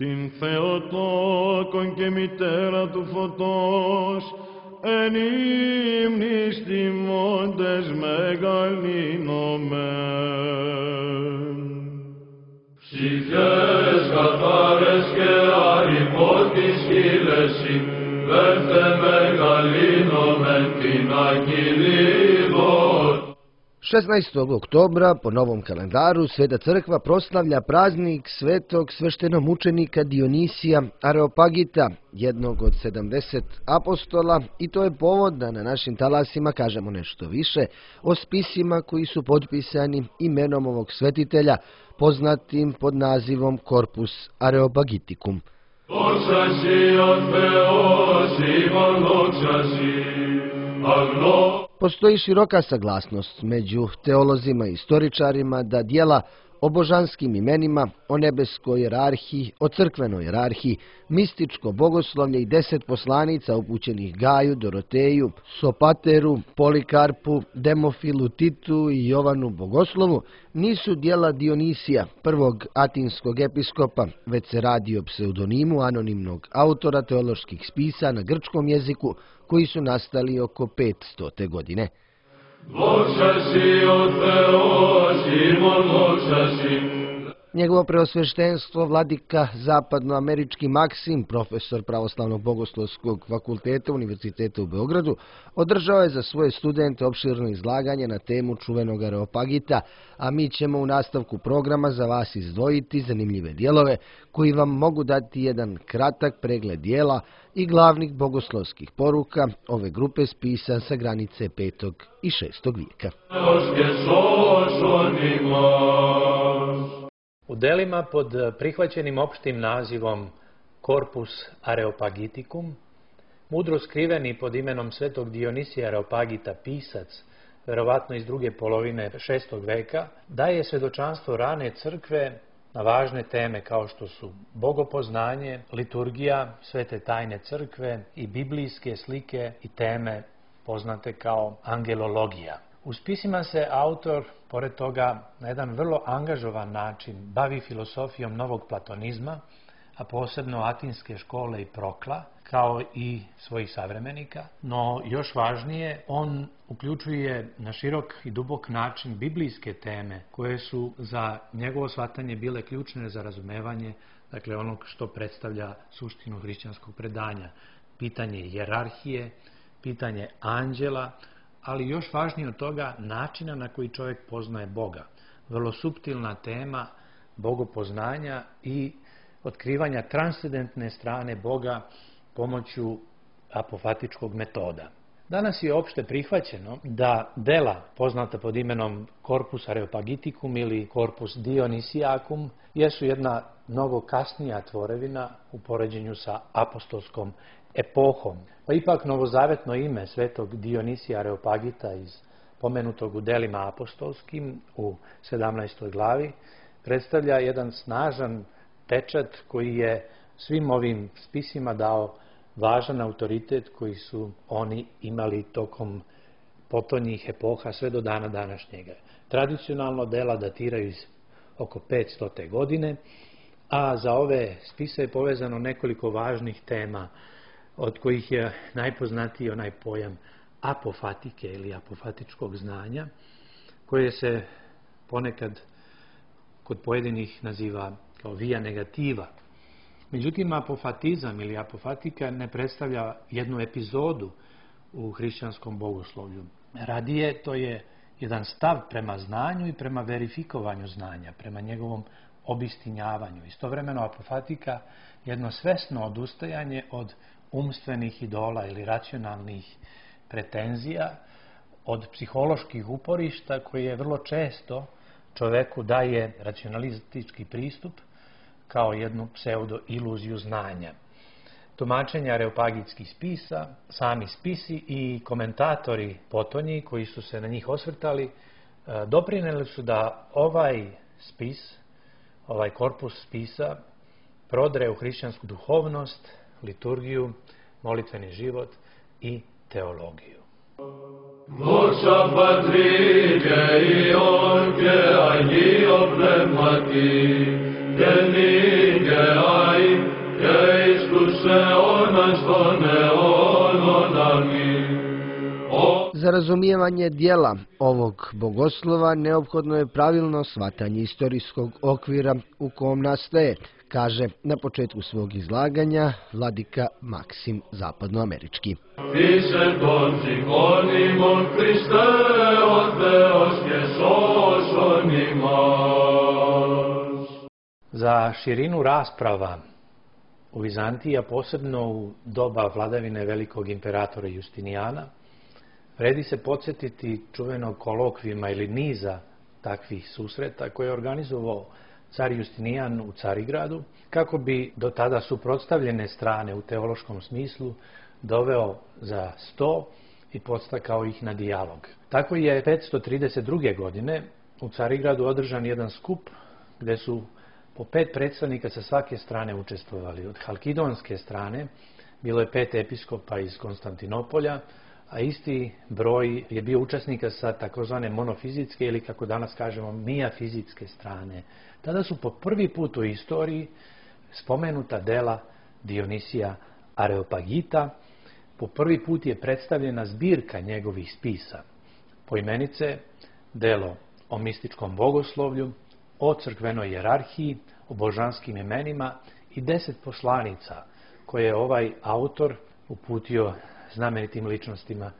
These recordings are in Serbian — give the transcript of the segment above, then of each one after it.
την Θεοτόκον και μητέρα του φωτός, εν ύμνης τιμώντες μεγαλύνομεν. Ψυχές καθάρες και αηπότης χείλεση, βέρθε μεγαλύνομεν την αγγελίδων. 16. oktobra po novom kalendaru Sveta crkva proslavlja praznik svetog sveštenomučenika Dionisija Areopagita, jednog od 70 apostola, i to je povod da na našim talasima kažemo nešto više o spisima koji su potpisani imenom ovog svetitelja, poznatim pod nazivom Corpus Areopagiticum. Postoji široka saglasnost među teolozima i istoričarima da dijela o božanskim imenima, o nebeskoj jerarhiji, o crkvenoj jerarhiji, mističko bogoslovlje i 10 poslanica upućenih Gaju, Doroteju, Sopateru, Polikarpu, Demofilu, Titu i Jovanu Bogoslovu nisu dijela Dionisija, prvog atinskog episkopa, već se radi o pseudonimu anonimnog autora teoloških spisa na grčkom jeziku koji su nastali oko 500. godine. Njegovo preosveštenstvo vladika zapadnoamerički Maksim, profesor Pravoslavnog bogoslovskog fakulteta Univerziteta u Beogradu, održao je za svoje studente opširno izlaganje na temu čuvenog Areopagita, a mi ćemo u nastavku programa za vas izdvojiti zanimljive dijelove koji vam mogu dati jedan kratak pregled dijela i glavnih bogoslovskih poruka ove grupe spisa sa granice 5. i 6. vijeka. U delima pod prihvaćenim opštim nazivom Corpus Areopagiticum, mudro skriveni pod imenom svetog Dionisija Areopagita pisac, verovatno iz druge polovine 6. veka, daje svedočanstvo rane crkve na važne teme kao što su bogopoznanje, liturgija, svete tajne crkve i biblijske slike i teme poznate kao angelologija. U spisima se autor, pored toga, na jedan vrlo angažovan način bavi filosofijom novog platonizma, a posebno atinske škole i Prokla, kao i svojih savremenika. No, još važnije, on uključuje na širok i dubok način biblijske teme koje su za njegovo shvatanje bile ključne za razumevanje, dakle onog što predstavlja suštinu hrišćanskog predanja. Pitanje hijerarhije, pitanje anđela, ali još važnije od toga načina na koji čovjek poznaje Boga. Vrlo suptilna tema bogopoznanja i otkrivanja transcendentne strane Boga pomoću apofatičkog metoda. Danas je opšte prihvaćeno da dela poznata pod imenom Corpus Areopagiticum ili Corpus Dionisiacum jesu jedna mnogo kasnija tvorevina u poređenju sa apostolskom epohom. Pa ipak novozavetno ime svetog Dionisija Areopagita iz pomenutog u delima apostolskim u 17. glavi predstavlja jedan snažan pečat koji je svim ovim spisima dao važan autoritet koji su oni imali tokom potonjih epoha sve do dana današnjega. Tradicionalno dela datiraju iz oko 500. godine, a za ove spise je povezano nekoliko važnih tema, od kojih je najpoznatiji onaj pojam apofatike ili apofatičkog znanja, koje se ponekad kod pojedinih naziva kao via negativa. Međutim, apofatizam ili apofatika ne predstavlja jednu epizodu u hrišćanskom bogoslovlju. Radije, to je jedan stav prema znanju i prema verifikovanju znanja, prema njegovom obistinjavanju. Istovremeno, apofatika je jedno svesno odustajanje od umstvenih idola ili racionalnih pretenzija, od psiholoških uporišta koje vrlo često čoveku daje racionalistički pristup kao jednu pseudo-iluziju znanja. Tumačenja areopagitskih spisa, sami spisi i komentatori potonji koji su se na njih osvrtali doprinijeli su da ovaj spis, ovaj korpus spisa prodre u hrišćansku duhovnost, liturgiju, molitveni život i teologiju. Δόξα Πατρί και Υιόν και Αγίο Πνεύματι, και νυν και αΐ Za razumijevanje dijela ovog bogoslova neophodno je pravilno shvatanje istorijskog okvira u kom nastaje, kaže na početku svog izlaganja vladika Maksim Zapadnoamerički. Za širinu rasprava u Vizantiji, a posebno u doba vladavine velikog imperatora Justinijana, vredi se podsjetiti čuvenog kolokvijuma ili niza takvih susreta koje je organizovao car Justinijan u Carigradu, kako bi do tada suprotstavljene strane u teološkom smislu doveo za sto i podstakao ih na dijalog. Tako je 532. godine u Carigradu održan jedan skup gdje su po 5 predstavnika sa svake strane učestvovali. Od halkidonske strane bilo je 5 episkopa iz Konstantinopolja, a isti broj je bio učesnika sa takozvane monofizitske ili, kako danas kažemo, mijafizitske strane. Tada su po prvi put u istoriji spomenuta dela Dionisija Areopagita. Po prvi put je predstavljena zbirka njegovih spisa. Poimenice delo o mističkom bogoslovlju, o crkvenoj jerarhiji, o božanskim imenima i 10 poslanica koje je ovaj autor uputio znamenitim ličnostima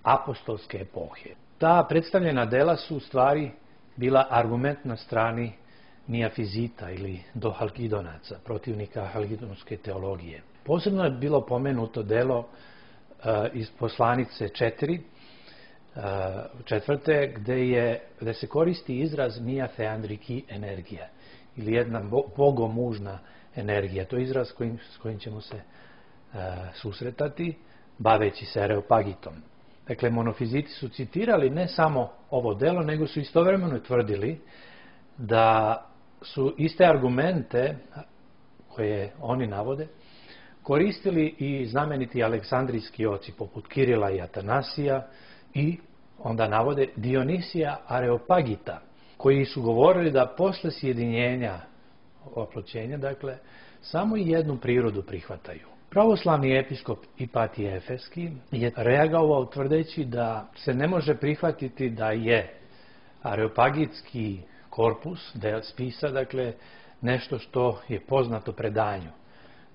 apostolske epohe. Ta predstavljena dela su u stvari bila argument na strani mijafizita ili dohalkidonaca, protivnika halkidonske teologije. Posebno je bilo pomenuto delo iz poslanice 4, četvrte, gde se koristi izraz mija theandriki energija ili jedna bogomužna energija. To je izraz s kojim ćemo se susretati baveći se Areopagitom. Dakle, monofiziti su citirali ne samo ovo delo, nego su istovremeno tvrdili da su iste argumente koje oni navode koristili i znameniti aleksandrijski oci poput Kirila i Atanasija i onda navode Dionisija Areopagita, koji su govorili da posle sjedinjenja, oploćenja, dakle, samo jednu prirodu prihvataju. Pravoslavni episkop Ipatije Efeski je reagovao tvrdeći da se ne može prihvatiti da je areopagitski korpus, del spisa, dakle, nešto što je poznato predanju.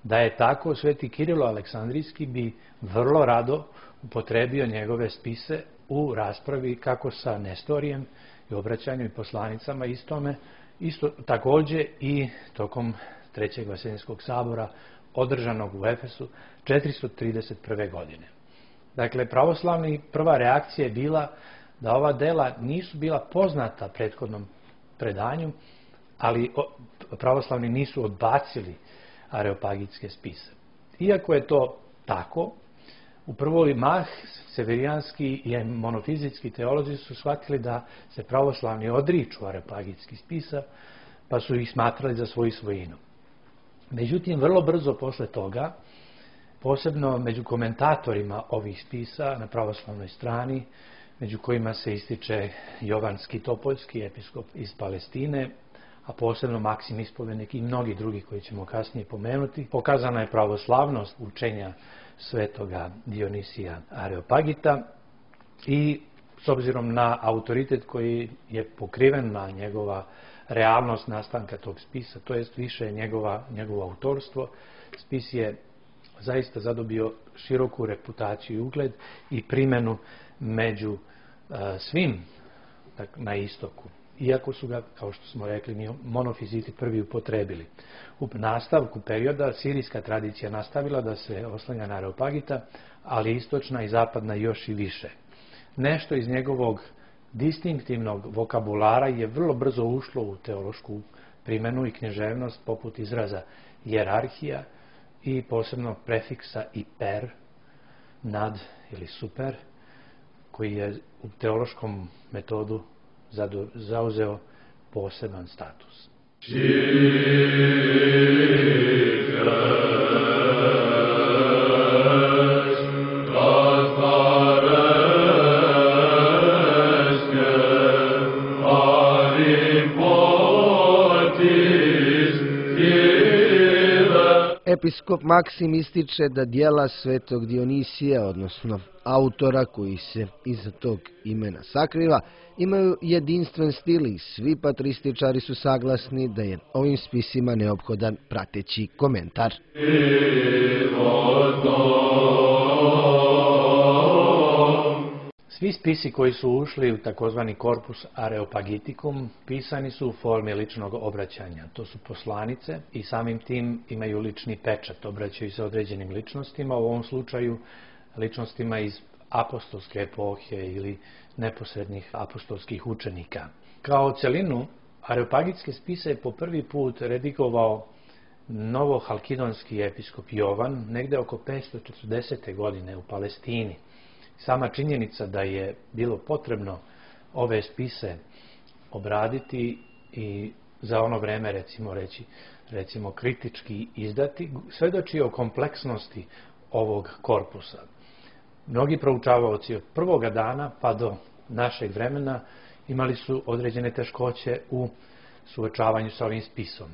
Da je tako, sveti Kirilo Aleksandrijski bi vrlo rado upotrebio njegove spise u raspravi kako sa Nestorijem i obraćanju i poslanicama istome, isto također i tokom Trećeg Vaseljenskog sabora održanog u Efesu 431. godine. Dakle, pravoslavni prva reakcija je bila da ova dela nisu bila poznata prethodnom predanju, ali pravoslavni nisu odbacili areopagitske spise. Iako je to tako, u prvoj mah severijanski i monofizitski teolozi su shvatili da se pravoslavni odriču areopagitskih spisa, pa su ih smatrali za svoju svojinu. Međutim, vrlo brzo posle toga, posebno među komentatorima ovih spisa na pravoslavnoj strani, među kojima se ističe Jovan Skitopoljski, episkop iz Palestine, a posebno Maksim Ispovednik i mnogi drugi koji ćemo kasnije pomenuti, pokazana je pravoslavnost učenja svetoga Dionisija Areopagita i s obzirom na autoritet koji je pokriven na njegova realnost nastanka tog spisa, to jest više njegovo autorstvo, spis je zaista zadobio široku reputaciju i ugled i primjenu među svim na istoku. Iako su ga, kao što smo rekli, monofiziti prvi upotrebili. U nastavku perioda sirijska tradicija nastavila da se oslanja na Areopagita, ali istočna i zapadna još i više. Nešto iz njegovog distinktivnog vokabulara je vrlo brzo ušlo u teološku primjenu i književnost, poput izraza jerarhija i posebno prefiksa iper, nad ili super, koji je u teološkom metodu zauzeo poseban status. Episkop Maksim ističe da dijela svetog Dionisija, odnosno autora koji se iza tog imena sakriva, imaju jedinstven stil i svi patrističari su saglasni da je ovim spisima neophodan prateći komentar. Svi spisi koji su ušli u takozvani Corpus Areopagiticum pisani su u formi ličnog obraćanja. To su poslanice i samim tim imaju lični pečat, obraćaju se određenim ličnostima, u ovom slučaju ličnostima iz apostolske epohe ili neposrednih apostolskih učenika. Kao celinu, areopagitske spise je po prvi put redigovao novohalkidonski episkop Jovan negde oko 540. godine u Palestini. Sama činjenica da je bilo potrebno ove spise obraditi i za ono vreme recimo kritički izdati, svedoči o kompleksnosti ovog korpusa. Mnogi proučavaoci od prvoga dana pa do našeg vremena imali su određene teškoće u suočavanju sa ovim spisom.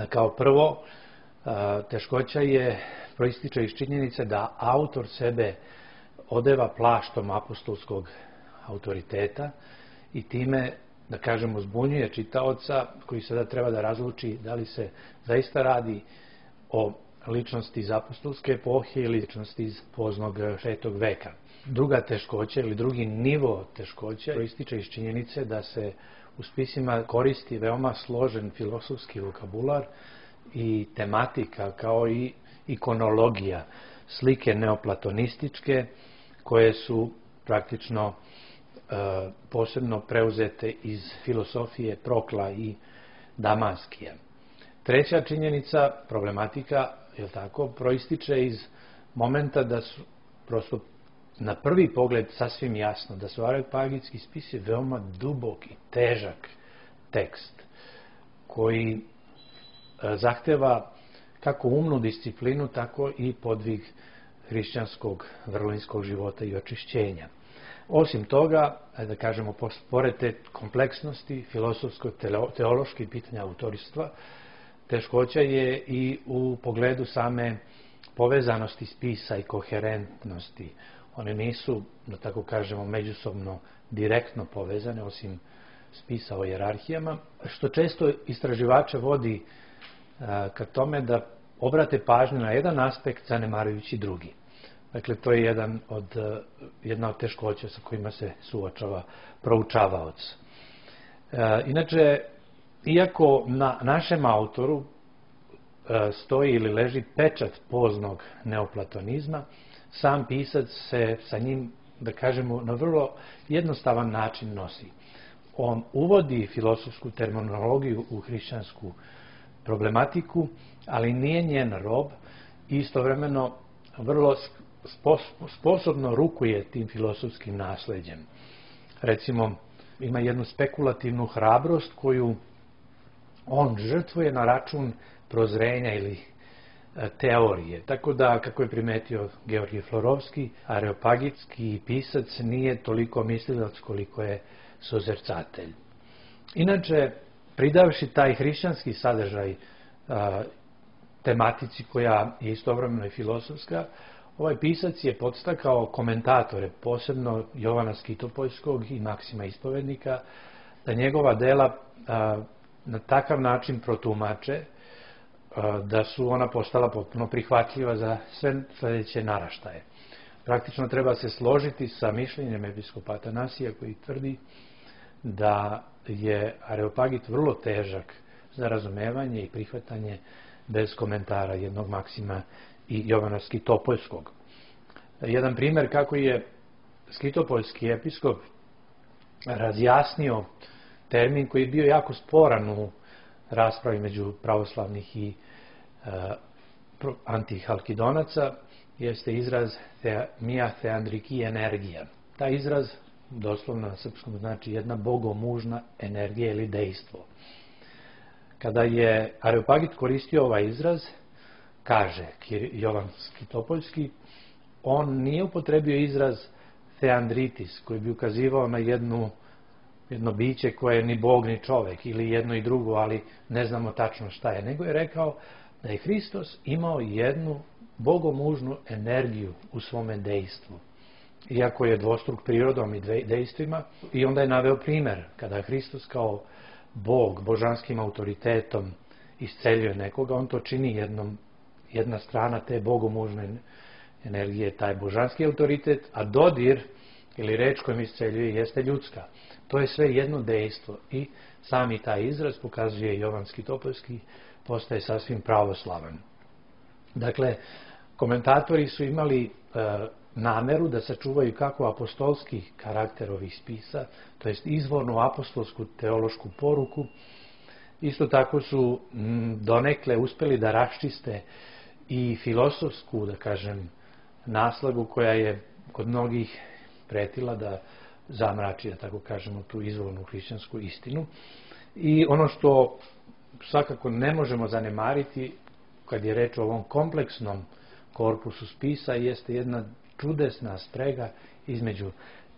Kao prvo, teškoća proističe iz činjenice da autor sebe odeva plaštom apostolskog autoriteta i time, da kažemo, zbunjuje čitaoca koji sada treba da razluči da li se zaista radi o ličnosti iz apostolske epohe ili ličnosti iz poznog 6. veka. Druga teškoća ili drugi nivo teškoća proističe iz činjenice da se u spisima koristi veoma složen filosofski vokabular i tematika kao i ikonologija, slike neoplatonističke koje su praktično posebno preuzete iz filosofije Prokla i Damaskija. Treća činjenica, problematika, proističe iz momenta da su prosto na prvi pogled sasvim jasno da su areopagitski spisi veoma dubok i težak tekst koji zahteva kako umnu disciplinu, tako i podvig hrišćanskog vrlinskog života i očišćenja. Osim toga, da kažemo, pored te kompleksnosti filosofsko-teoloških pitanja autorstva, teškoća je i u pogledu same povezanosti spisa i koherentnosti. One nisu, da tako kažemo, međusobno direktno povezane, osim spisa o hijerarhijama, što često istraživače vodi ka tome da obrate pažnju na jedan aspekt zanemarujući drugi. Dakle, to je jedna od teškoća sa kojima se suočava proučavaoc. Inače, iako na našem autoru stoji ili leži pečat poznog neoplatonizma, sam pisac se sa njim, da kažemo, na vrlo jednostavan način nosi. On uvodi filosofsku terminologiju u hrišćansku problematiku, ali nije njen rob i istovremeno vrlo sposobno rukuje tim filosofskim nasleđem. Recimo, ima jednu spekulativnu hrabrost koju on žrtvuje na račun prozrenja ili teorije. Tako da, kako je primetio Georgij Florovski, areopagitski pisac nije toliko mislilac koliko je sozercatelj. Inače, pridavši taj hrišćanski sadržaj tematici koja je istovremeno i filosofska, ovaj pisac je podstakao komentatore, posebno Jovana Skitopoljskog i Maksima Ispovednika, da njegova dela na takav način protumače da su ona postala potpuno prihvatljiva za sve sledeće naraštaje. Praktično treba se složiti sa mišljenjem episkopa Atanasija koji tvrdi da je Areopagit vrlo težak za razumevanje i prihvatanje bez komentara jednog Maksima i Jovana Skitopoljskog. Jedan primjer kako je Skitopoljski episkop razjasnio termin koji je bio jako sporan u raspravi među pravoslavnih i antihalkidonaca, jeste izraz mia theandriki energija. Taj izraz doslovno na srpskom znači jedna bogomužna energija ili dejstvo. Kada je Areopagit koristio ovaj izraz, kaže Jovan Skitopoljski, on nije upotrebio izraz theandritis, koji bi ukazivao na jedno biće koje je ni bog ni čovek, ili jedno i drugo, ali ne znamo tačno šta je, nego je rekao da je Hristos imao jednu bogomužnu energiju u svome dejstvu. Iako je dvostruk prirodom i dejstvima, i onda je naveo primer kada Hristos kao Bog, božanskim autoritetom isceljuje nekoga, on to čini jedna strana te bogomužne energije, taj božanski autoritet, a dodir ili reč kojom isceljuje jeste ljudska. To je sve jedno dejstvo i sami taj izraz pokazuje Jovanski Topolski, postaje sasvim pravoslavan. Dakle, komentatori su imali nameru da sačuvaju kako apostolski karakter ovih spisa, to jest izvornu apostolsku teološku poruku. Isto tako su donekle uspeli da raščiste i filosofsku, da kažem, naslagu koja je kod mnogih pretila da zamrači, da tako kažemo, tu izvornu hrišćansku istinu. I ono što svakako ne možemo zanemariti kad je reč o ovom kompleksnom korpusu spisa jeste jedna čudesna sprega između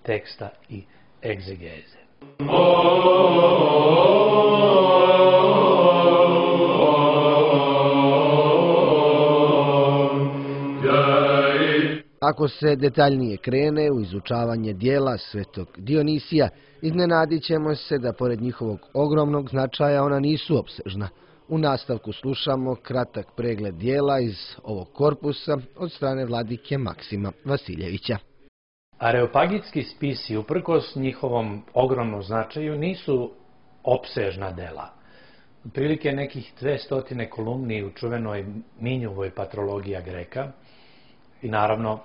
teksta i egzegeze. Ako se detaljnije krene u izučavanje dijela svetog Dionisija, iznenadit ćemo se da pored njihovog ogromnog značaja ona nisu opsežna. U nastavku slušamo kratak pregled dijela iz ovog korpusa od strane vladike Maksima Vasiljevića. Areopagitski spisi, uprkos njihovom ogromnom značaju, nisu opsežna dela. Otprilike nekih 200 kolumni u čuvenoj Minjuvoj patrologija Greka i naravno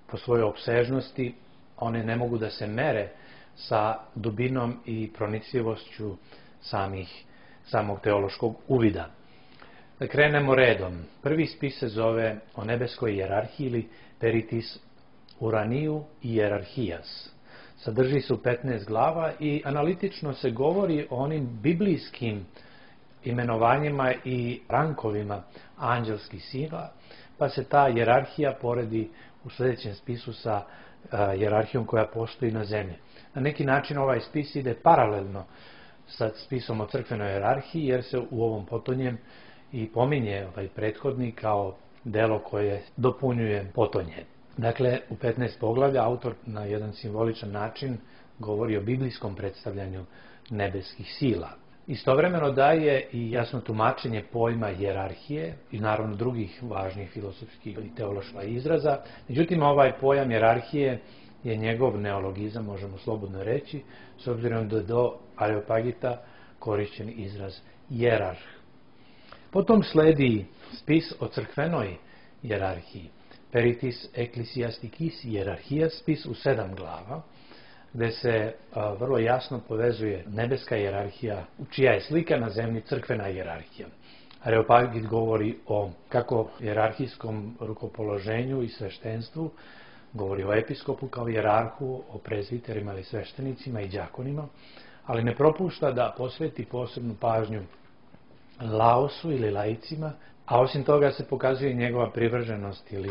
po svojoj opsežnosti one ne mogu da se mere sa dubinom i pronicljivošću samog teološkog uvida. Da krenemo redom. Prvi spis se zove o nebeskoj hijerarhiji ili Peritis Uraniu Hierarchijas. Sadrži se u 15 glava i analitično se govori o onim biblijskim imenovanjima i rankovima anđelskih sila, pa se ta hijerarhija poredi u sljedećem spisu sa hijerarhijom koja postoji na zemlji. Na neki način ovaj spis ide paralelno sa spisom o crkvenoj hijerarhiji, jer se u ovom potonjem i pominje ovaj prethodni kao delo koje dopunjuje potonje. Dakle, u 15 poglavlja autor na jedan simboličan način govori o biblijskom predstavljanju nebeskih sila. Istovremeno daje i jasno tumačenje pojma hijerarhije i naravno drugih važnih filosofskih i teoloških izraza. Međutim, ovaj pojam hijerarhije je njegov neologizam, možemo slobodno reći, s obzirom da je do Areopagita korišćen izraz hijerarh. Potom sledi spis o crkvenoj hijerarhiji, Peritis Ecclesiasticis Hierarchia, spis u 7 glava, gde se vrlo jasno povezuje nebeska hijerarhija, čija je slika na zemlji crkvena hijerarhija. Areopagit govori o kako hijerarhijskom rukopoloženju i sveštenstvu, govori o episkopu kao hijerarhu, o prezviterima ili sveštenicima i đakonima, ali ne propušta da posveti posebnu pažnju laosu ili laicima, a osim toga se pokazuje njegova privrženost ili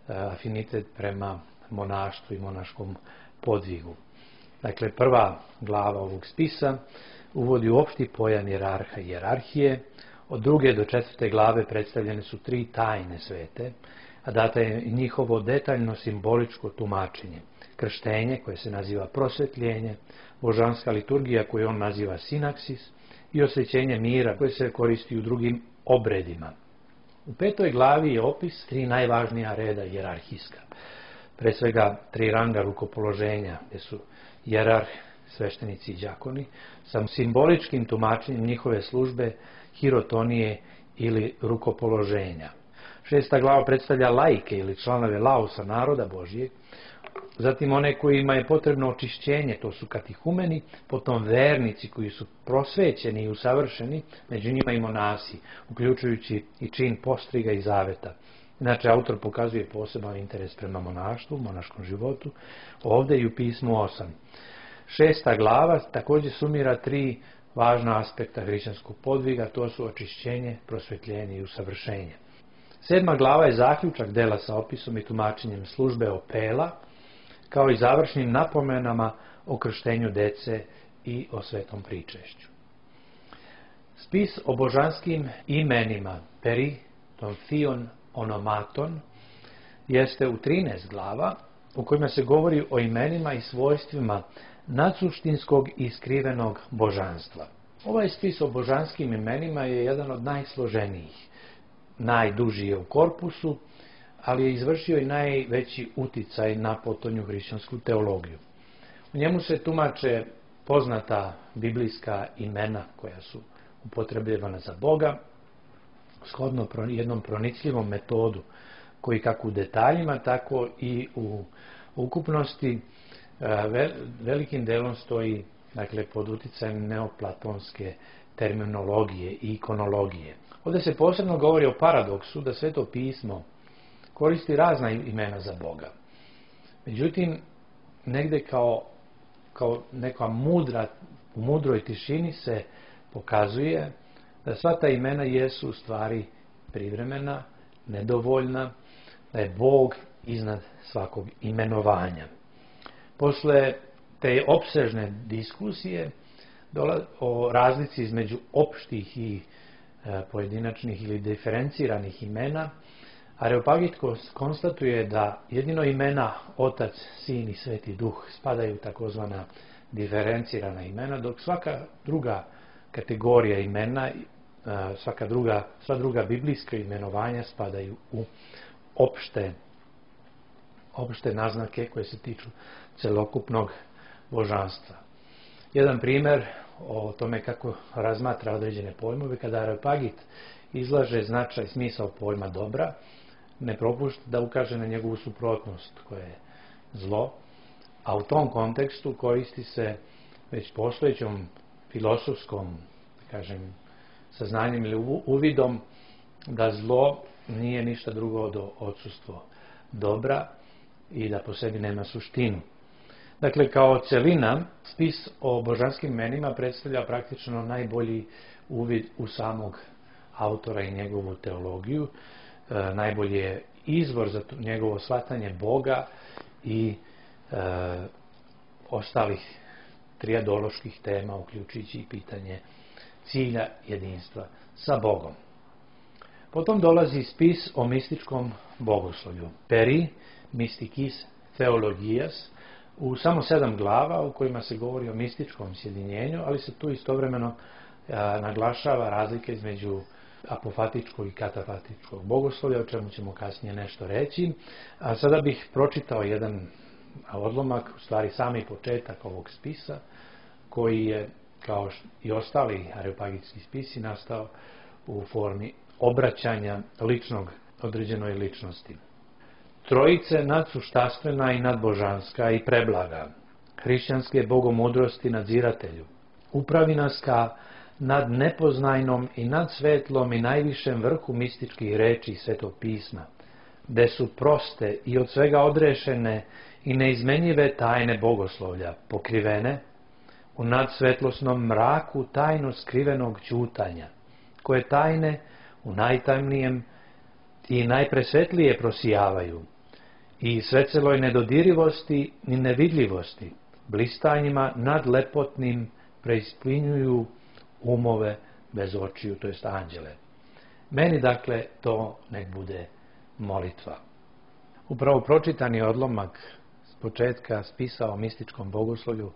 afinitet prema monaštvu i monaškom podvigu. Dakle, prva glava ovog spisa uvodi u opšti pojam hijerarha i hijerarhije. Od 2. do 4. glave predstavljene su 3 tajne svete, a data je njihovo detaljno simboličko tumačenje. Krštenje, koje se naziva prosvetljenje, božanska liturgija, koju on naziva sinaksis, i osvećenje mira, koje se koristi u drugim obredima. U 5. glavi je opis 3 najvažnija reda hijerarhijska. Pre svega 3 ranga rukopoloženja, gdje su hijerarh, sveštenici i đakoni, sa simboličkim tumačenjem njihove službe, hirotonije ili rukopoloženja. 6. glava predstavlja laike ili članove lausa naroda Božijeg, zatim one kojima je potrebno očišćenje, to su katihumeni, potom vernici koji su prosvećeni i usavršeni, među njima i monasi, uključujući i čin postriga i zaveta. Inače, autor pokazuje poseban interes prema monaštvu, monaškom životu, ovdje i u pismu 8. 6. glava također sumira 3 važna aspekta hrišćanskog podviga, to su očišćenje, prosvetljenje i usavršenje. 7. glava je zaključak dela sa opisom i tumačenjem službe opela, kao i završnim napomenama o krštenju dece i o svetom pričešću. Spis o božanskim imenima, Peri ton Theon Onomaton, jeste u 13 glava u kojima se govori o imenima i svojstvima nadsuštinskog i skrivenog božanstva. Ovaj spis o božanskim imenima je jedan od najsloženijih, najduži je u korpusu, ali je izvršio i najveći uticaj na potonju hrišćansku teologiju. U njemu se tumače poznata biblijska imena koja su upotrebljavana za Boga, shodno jednom pronicljivom metodu koji kako u detaljima, tako i u ukupnosti velikim delom stoji, dakle, pod uticajem neoplatonske terminologije i ikonologije. Ovdje se posebno govori o paradoksu da Sveto pismo koristi razna imena za Boga. Međutim, negde kao neka u mudroj tišini se pokazuje da sva ta imena jesu u stvari privremena, nedovoljna, da je Bog iznad svakog imenovanja. Posle te opsežne diskusije o razlici između opštih i pojedinačnih ili diferenciranih imena, Areopagit konstatuje da jedino imena Otac, Sin i Sveti Duh spadaju u takozvana diferencirana imena, dok svaka druga kategorija imena, sva druga biblijska imenovanja spadaju u opšte naznake koje se tiču celokupnog božanstva. Jedan primjer o tome kako razmatra određene pojmove, kada Areopagit izlaže značaj, smisao pojma dobra, ne propušta da ukaže na njegovu suprotnost koja je zlo, a u tom kontekstu koristi se već postojećom filosofskom, saznanjem ili uvidom da zlo nije ništa drugo od odsustvo dobra i da po sebi nema suštinu. Dakle, kao celina, spis o božanskim imenima predstavlja praktično najbolji uvid u samog autora i njegovu teologiju, najbolji je izvor za njegovo shvatanje Boga i ostalih trijadoloških tema, uključujući i pitanje cilja jedinstva sa Bogom. Potom dolazi spis o mističkom bogoslovlju, Peri Mysticis Theologias, u samo 7 glava u kojima se govori o mističkom sjedinjenju, ali se tu istovremeno naglašava razlika između apofatičkog i katafatičkog bogoslovlja, o čemu ćemo kasnije nešto reći. A sada bih pročitao jedan odlomak, u stvari sami početak ovog spisa, koji je, kao i ostali areopagitski spisi, nastao u formi obraćanja ličnog određenoj ličnosti. Trojice nadsuštastvena i nadbožanska i preblaga, hrišćanske bogomudrosti nadziratelju, upravi nas ka nad nepoznajnom i nad svetlom i najvišem vrhu mističkih reči Svetog pisma, gde su proste i od svega odrešene i neizmenjive tajne bogoslovlja, pokrivene u nadsvetlosnom mraku tajno skrivenog ćutanja, koje tajne u najtamnijem i najpresvetlije prosijavaju i sveceloj nedodirivosti i nevidljivosti, blistanjima nadlepotnim preispinjuju umove bez očiju, to jest anđele. Meni, dakle, to nek bude molitva. Upravo pročitani odlomak s početka spisa o mističkom bogoslovlju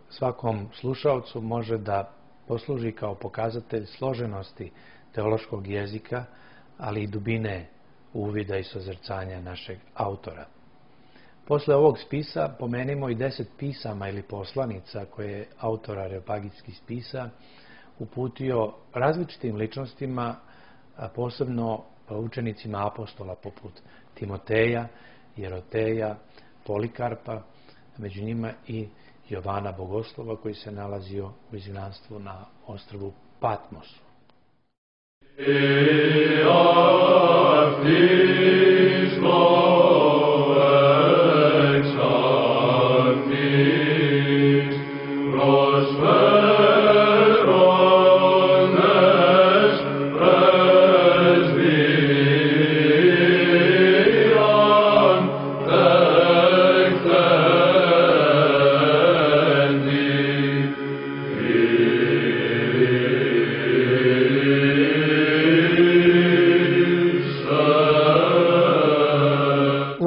svakom slušalcu može da posluži kao pokazatelj složenosti teološkog jezika, ali i dubine uvida i sozrcanja našeg autora. Posle ovog spisa pomenimo i 10 pisama ili poslanica koje je autor areopagitskih spisa uputio različitim ličnostima, a posebno učenicima apostola poput Timoteja, Jeroteja, Polikarpa, među njima i Jovana Bogoslova koji se nalazio u izgnanstvu na ostrvu Patmosu. Yeah.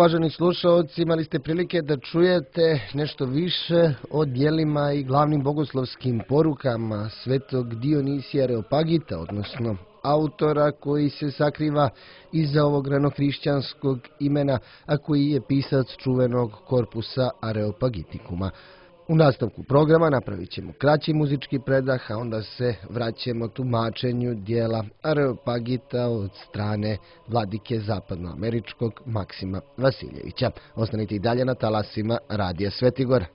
uvaženi slušalci, imali ste prilike da čujete nešto više o djelima i glavnim bogoslovskim porukama svetog Dionisija Areopagita, odnosno autora koji se sakriva iza ovog ranohrišćanskog imena, a koji je pisac čuvenog korpusa Areopagitikuma. U nastavku programa napravit ćemo kraći muzički predah, a onda se vraćamo tumačenju dijela Areopagita od strane vladike zapadnoameričkog Maksima Vasiljevića. Ostanite i dalje na talasima Radija Svetigora.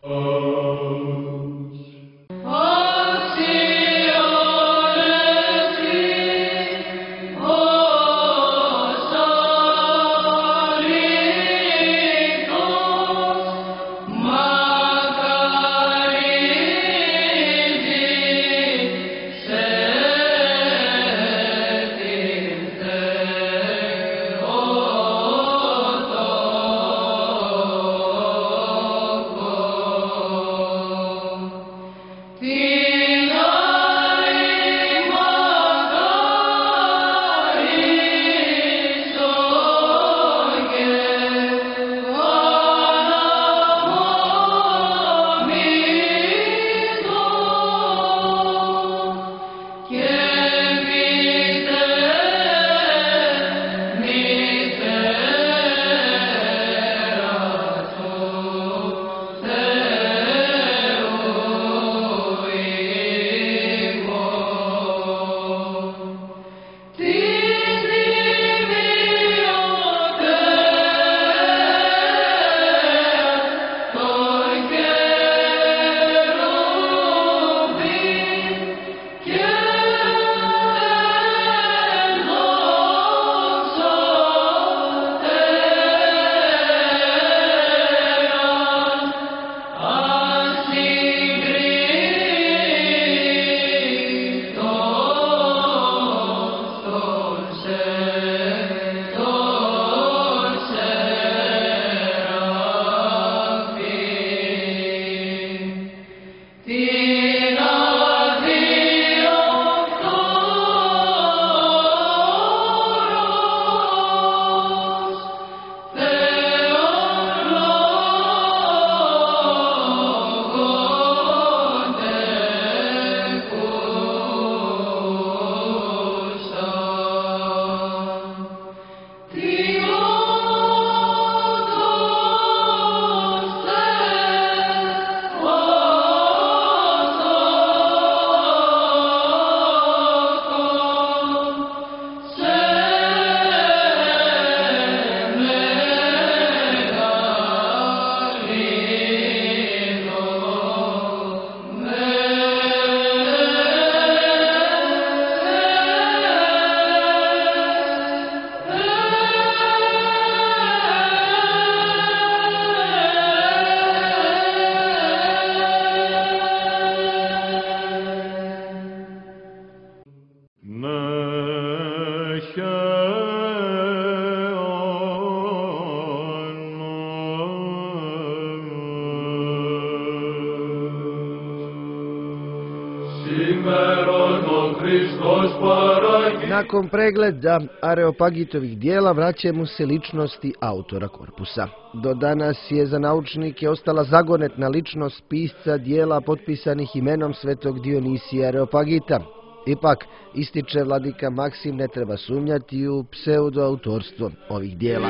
Nakon pregleda Areopagitovih dijela vraćamo se ličnosti autora korpusa. Do danas je za naučnike ostala zagonetna ličnost pisca dijela potpisanih imenom svetog Dionisija Areopagita. Ipak, ističe vladika Maksim, ne treba sumnjati u pseudoautorstvo ovih dijela.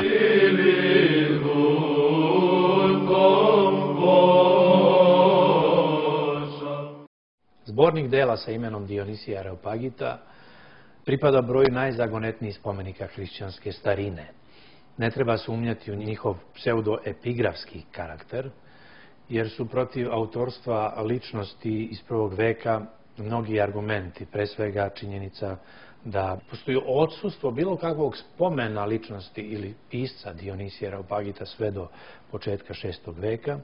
Zbornik dela sa imenom Dionisija Areopagita pripada broju najzagonetnijih spomenika hrišćanske starine. Ne treba sumnjati u njihov pseudoepigrafski karakter, jer su protiv autorstva ličnosti iz prvog veka mnogi argumenti, pre svega činjenica da postoji odsustvo bilo kakvog spomena ličnosti ili pisca Dionisija Areopagita sve do početka VI. Veka,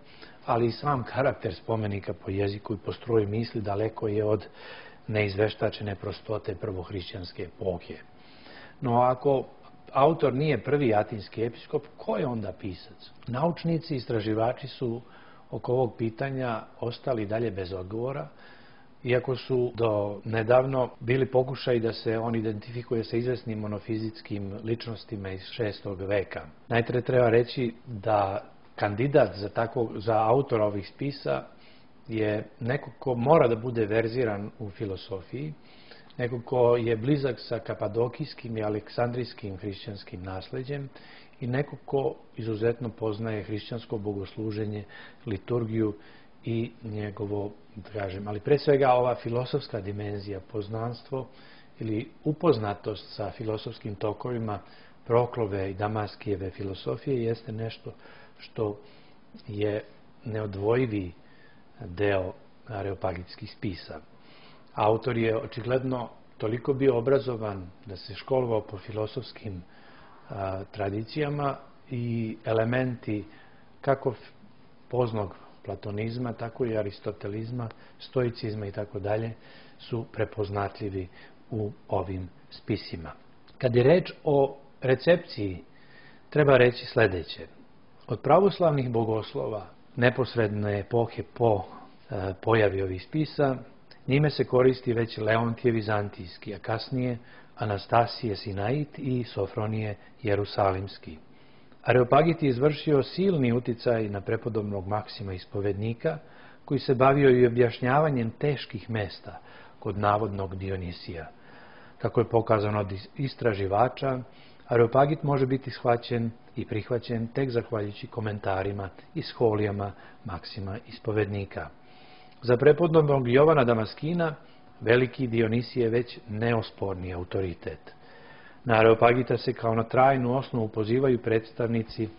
ali i sam karakter spomenika po jeziku i po stroju misli daleko je od neizveštačene prostote prvohrišćanske epohe. No ako autor nije prvi atinski episkop, ko je onda pisac? Naučnici i istraživači su oko ovog pitanja ostali dalje bez odgovora, iako su do nedavno bili pokušaj da se on identifikuje sa izvesnim monofizitskim ličnostima iz 6. veka. Najpre treba reći da kandidat za autora ovih spisa je neko ko mora da bude verziran u filosofiji, neko ko je blizak sa kapadokijskim i aleksandrijskim hrišćanskim nasleđem i neko ko izuzetno poznaje hrišćansko bogosluženje, liturgiju i njegovo, ali pre svega ova filosofska dimenzija, poznanstvo ili upoznatost sa filosofskim tokovima Proklove i Damaskijeve filosofije jeste nešto što je neodvojivi deo areopagitskih spisa. Autor je očigledno toliko bio obrazovan da se školovao po filosofskim tradicijama i elementi kako poznog platonizma, tako i aristotelizma, stoicizma i tako dalje su prepoznatljivi u ovim spisima. Kad je reč o recepciji, treba reći sledeće. Od pravoslavnih bogoslova neposredne epohe po pojavi ovih spisa, njime se koristi već Leontije Vizantijski, a kasnije Anastasije Sinait i Sofronije Jerusalimski. Areopagit je izvršio silni uticaj na prepodobnog Maksima ispovednika, koji se bavio i objašnjavanjem teških mesta kod navodnog Dionisija. Kako je pokazano od istraživača, Areopagit može biti shvaćen i prihvaćen tek zahvaljujući komentarima i scholijama Maksima ispovednika. Za prepodobnog Jovana Damaskina veliki Dionisije je već neosporni autoritet. Na Areopagita se kao na trajnu osnovu pozivaju predstavnici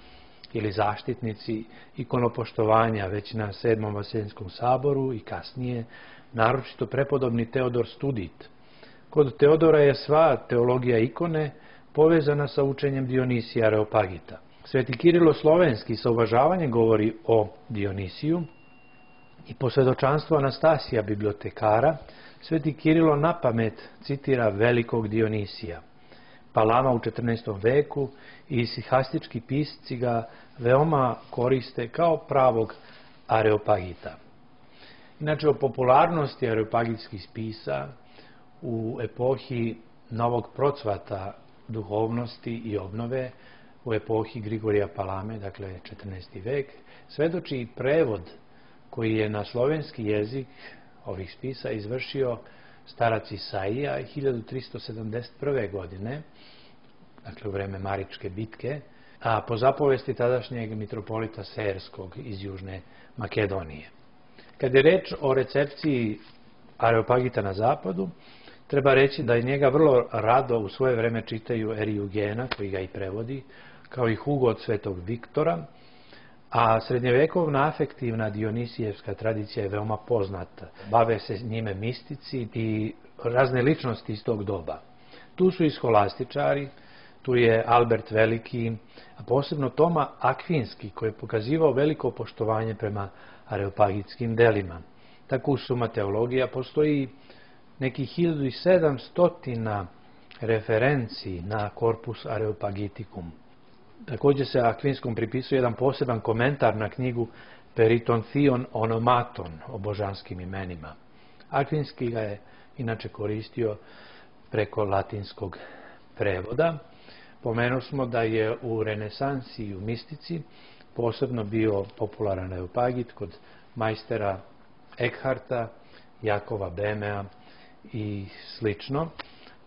ili zaštitnici ikonopoštovanja već na 7. Vaseljenskom saboru i kasnije, naročito prepodobni Teodor Studit. Kod Teodora je sva teologija ikone povezana sa učenjem Dionisija Areopagita. Sveti Kirilo Slovenski sa uvažavanjem govori o Dionisiju i po svedočanstvu Anastasija bibliotekara, Sveti Kirilo napamet citira velikog Dionisija. Palama u 14. veku i sihastički pisci ga veoma koriste kao pravog Areopagita. Inače, o popularnosti areopagitskih spisa u epohi novog procvata duhovnosti i obnove, u epohi Grigorija Palame, dakle 14. vek, svedoči i prevod koji je na slovenski jezik ovih spisa izvršio starac Isaija 1371. godine, dakle u vreme Maričke bitke, a po zapovesti tadašnjeg mitropolita Serskog iz Južne Makedonije. Kad je reč o recepciji Areopagita na zapadu, treba reći da je njega vrlo rado u svoje vreme čitaju Eriugena, koji ga i prevodi, kao i Hugo od Svetog Viktora, a srednjevekovna afektivna dionisijevska tradicija je veoma poznata. Bave se njime mistici i razne ličnosti iz tog doba. Tu su i scholastičari, tu je Albert Veliki, a posebno Toma Akvinski, koji je pokazivao veliko poštovanje prema areopagitskim delima. Tako u Suma teologija postoji nekih 1700 referenciji na Corpus Areopagiticum. Također se Akvinskom pripisuje jedan poseban komentar na knjigu Peritontion Onomaton o božanskim imenima. Akvinski ga je inače koristio preko latinskog prevoda. Pomenuo smo da je u renesansi i u mistici posebno bio popularan Areopagit kod majstera Eckharta, Jakova Bemea i slično,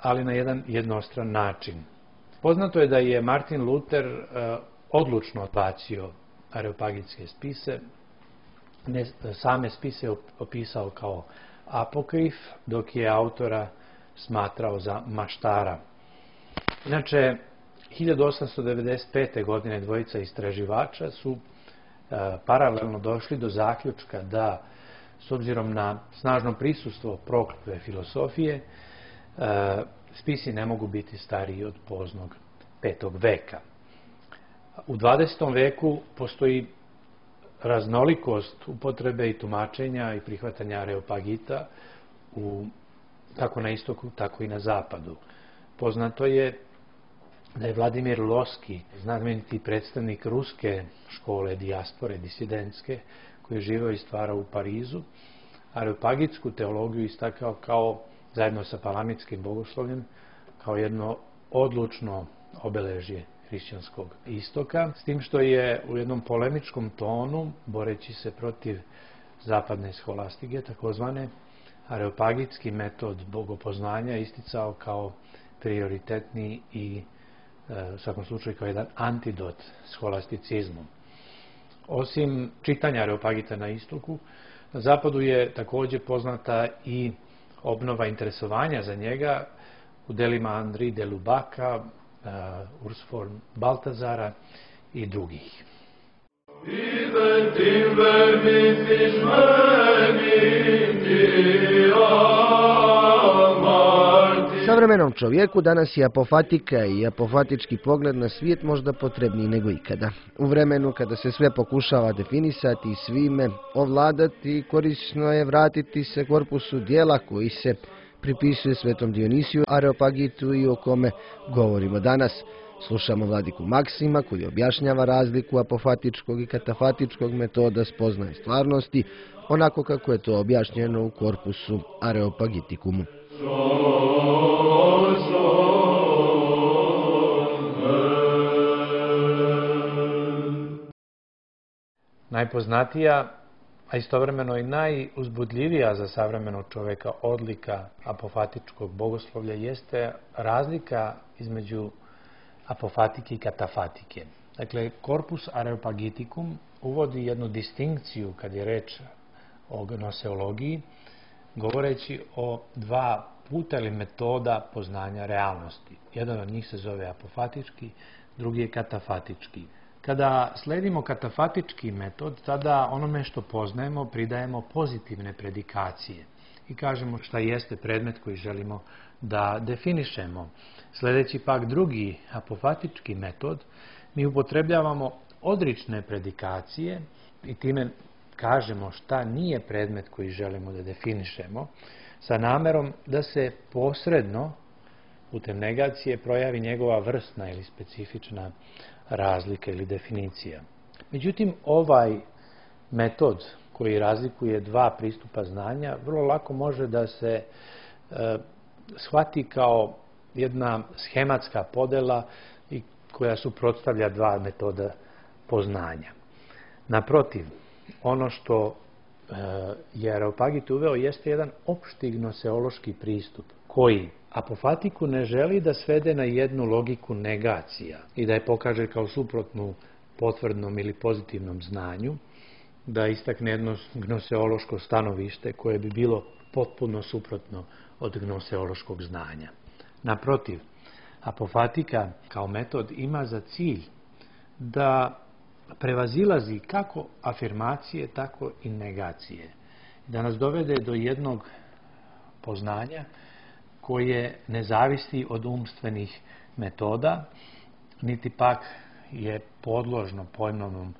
ali na jedan jednostran način. Poznato je da je Martin Luther odlučno odbacio areopagitske spise, same spise opisao kao apokrif, dok je autora smatrao za maštara. Inače, 1895. godine dvojica istraživača su paralelno došli do zaključka da, s obzirom na snažno prisustvo Proklove filosofije, spisi ne mogu biti stariji od poznog 5. veka. U 20. veku postoji raznolikost upotrebe i tumačenja i prihvatanja Areopagita kako na istoku, tako i na zapadu. Poznato je da je Vladimir Loski, znameniti predstavnik ruske škole dijaspore, disidentske, koji je živeo i stvarao u Parizu, areopagitsku teologiju istakao kao, zajedno sa palamitskim bogoslovljem, kao jedno odlučno obeležje hrišćanskog istoka, s tim što je u jednom polemičkom tonu, boreći se protiv zapadne skolastike, takozvane, areopagitski metod bogopoznanja isticao kao prioritetni i u svakom slučaju kao jedan antidot skolasticizmu. Osim čitanja Areopagita na istoku, na zapadu je također poznata i obnova interesovanja za njega u delima Henri de Lubaka, Urs von Baltazara i drugih. Savremenom čovjeku danas je apofatika i apofatički pogled na svijet možda potrebniji nego ikada. U vremenu kada se sve pokušava definisati i svime ovladati, korisno je vratiti se korpusu dijela koji se pripisuje svetom Dionisiju, Areopagitu i o kome govorimo danas. Slušamo vladiku Maksima koji objašnjava razliku apofatičkog i katafatičkog metoda spoznaje stvarnosti, onako kako je to objašnjeno u korpusu Areopagitikumu. Najpoznatija, a istovremeno i najuzbudljivija za savremenog čovjeka odlika apofatičkog bogoslovlja jeste razlika između apofatike i katafatike. Dakle, korpus Areopagitikum uvodi jednu distinkciju kad je reč o gnoseologiji, govoreći o dva puta ili metoda poznanja realnosti. Jedan od njih se zove apofatički, drugi je katafatički. Kada sledimo katafatički metod, tada onome što poznajemo pridajemo pozitivne predikacije i kažemo šta jeste predmet koji želimo da definišemo. Sledeći pak drugi apofatički metod, mi upotrebljavamo odrične predikacije i time kažemo šta nije predmet koji želimo da definišemo, sa namerom da se posredno putem negacije projavi njegova vrstna ili specifična razlika ili definicija. Međutim, ovaj metod koji razlikuje dva pristupa znanja vrlo lako može da se shvati kao jedna schematska podela i koja suprotstavlja dva metoda poznanja. Naprotiv, ono što je Areopagit uveo jeste jedan opšti gnoseološki pristup koji apofatiku ne želi da svede na jednu logiku negacija i da je pokaže kao suprotnu potvrdnom ili pozitivnom znanju, da istakne jedno gnoseološko stanovište koje bi bilo potpuno suprotno od gnoseološkog znanja. Naprotiv, apofatika kao metod ima za cilj da prevazilazi kako afirmacije, tako i negacije. Da nas dovede do jednog poznanja koje ne zavisi od umstvenih metoda, niti pak je podložno pojmovnom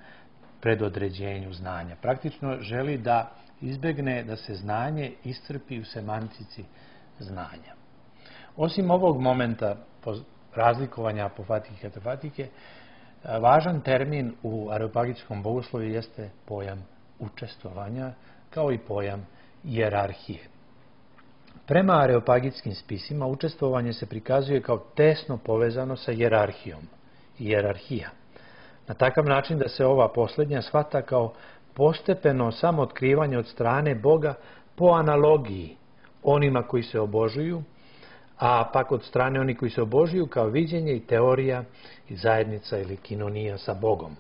predodređenju znanja. Praktično želi da izbegne da se znanje iscrpi u semantici znanja. Osim ovog momenta razlikovanja apofatike i katafatike, važan termin u areopagitskom bogoslovlju jeste pojam učestvovanja, kao i pojam hijerarhije. Prema areopagitskim spisima učestvovanje se prikazuje kao tesno povezano sa hijerarhijom. Hijerarhija. Na takav način da se ova posljednja shvata kao postepeno samootkrivanje od strane Boga po analogiji onima koji se obožuju, a pak od strane oni koji se obožuju kao viđenje i teorija i zajednica ili kinonija sa Bogom.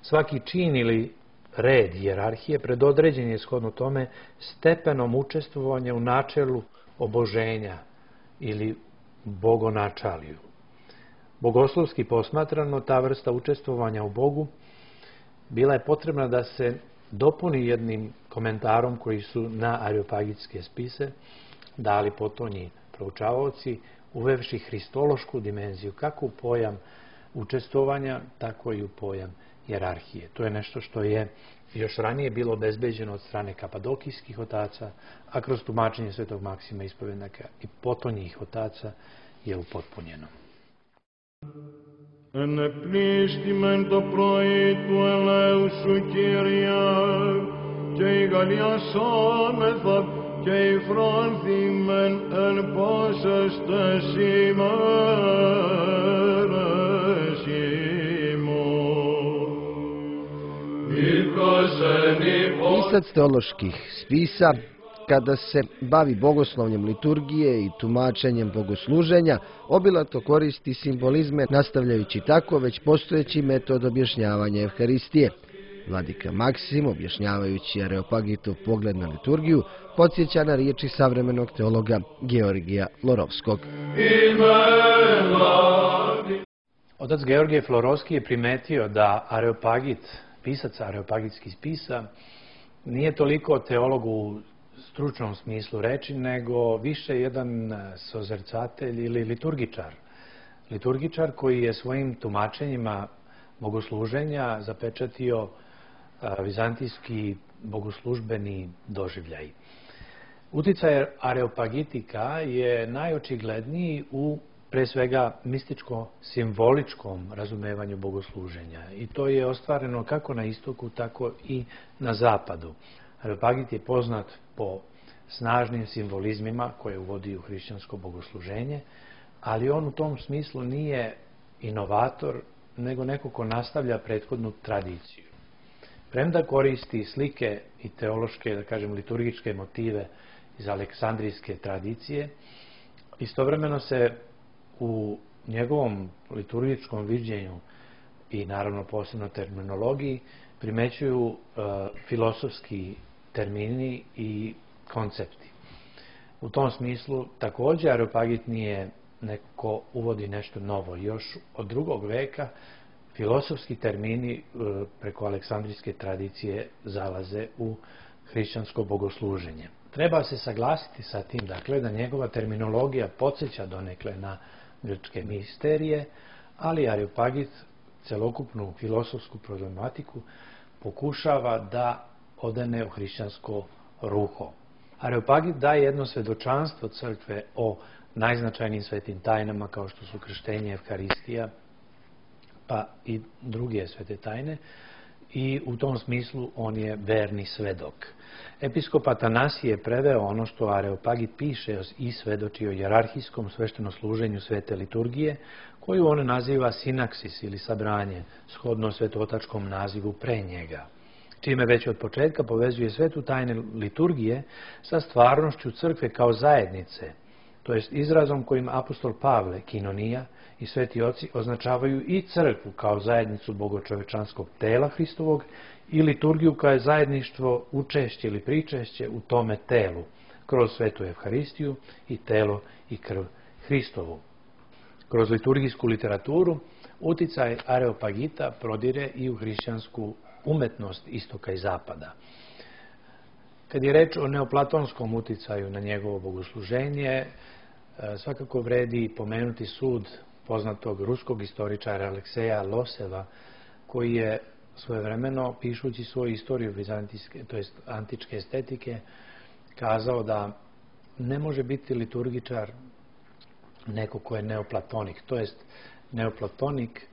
Svaki čin ili red hijerarhije predodređen je shodno tome stepenom učestvovanja u načelu oboženja ili bogonačaliju. Bogoslovski posmatrano, ta vrsta učestvovanja u Bogu bila je potrebna da se dopuni jednim komentarom koji su na areopagitske spise dali potonji proučavaoci, uvevši hristološku dimenziju kako u pojam učestvovanja, tako i u pojam hijerarhije. To je nešto što je još ranije bilo obezbeđeno od strane kapadokijskih otaca, a kroz tumačenje svetog Maksima ispovednika i potonjih otaca je upotpunjeno. Ενεπλήστημεν το πρωί του ελέου σου, Κύριε, και ηγαλιασόμεθα και υφράνθημεν εν πάσας τες ημέρες ημών. Pisac teoloških spisa, kada se bavi bogoslovljem liturgije i tumačenjem bogosluženja, obilato koristi simbolizme, nastavljajući tako već postojeći metod objašnjavanja Evharistije. Vladika Maksim, objašnjavajući Areopagitov pogled na liturgiju, podsjeća na riječi savremenog teologa Georgija Florovskog. Otac Georgije Florovski je primetio da Areopagit, pisac areopagitskih spisa, nije toliko teolog u stručnom smislu reči, nego više jedan sozercatelj ili liturgičar. Liturgičar koji je svojim tumačenjima bogosluženja zapečatio vizantijski bogoslužbeni doživljaj. Uticaj areopagitika je najočigledniji u pre svega mističko-simboličkom razumevanju bogosluženja i to je ostvareno kako na istoku, tako i na zapadu. Areopagit je poznat po snažnim simbolizmima koje uvodi u hrišćansko bogosluženje, ali on u tom smislu nije inovator, nego neko ko nastavlja prethodnu tradiciju. Premda koristi slike i teološke, da kažem, liturgičke motive iz aleksandrijske tradicije, istovremeno se u njegovom liturgičkom viđenju i naravno posebno terminologiji primećuju filosofski termini i koncepti. U tom smislu također Areopagit nije neko uvodi nešto novo. Još od 2. veka filosofski termini preko aleksandrijske tradicije zalaze u hrišćansko bogosluženje. Treba se saglasiti sa tim, dakle, da njegova terminologija podsjeća donekle na grčke misterije, ali Areopagit celokupnu filosofsku problematiku pokušava da odane u hrišćansko ruho. Areopagit daje jedno svedočanstvo crkve o najznačajnijim svetim tajnama kao što su krštenje, Evharistija, pa i druge svete tajne, i u tom smislu on je verni svedok. Episkop Atanasije je preveo ono što Areopagit piše i svedoči o jerarhijskom sveštenosluženju svete liturgije, koju on naziva sinaksis ili sabranje, shodno svetotačkom nazivu pre njega, čime već od početka povezuje svetu tajne liturgije sa stvarnošću crkve kao zajednice, to jest izrazom kojim apostol Pavle, kinonija, i sveti oci označavaju i crkvu kao zajednicu bogočovečanskog tela Hristovog i liturgiju kao zajedništvo, učešće ili pričešće u tome telu, kroz svetu Evharistiju i telo i krv Hristovu. Kroz liturgijsku literaturu uticaj Areopagita prodire i u hrišćansku umetnost istoka i zapada. Kad je reč o neoplatonskom uticaju na njegovo bogosluženje, svakako vredi pomenuti sud poznatog ruskog istoričara Alekseja Loseva, koji je svojevremeno, pišući svoju istoriju vizantijske, to jest antičke estetike, kazao da ne može biti liturgičar neko ko je neoplatonik. To jest, neoplatonik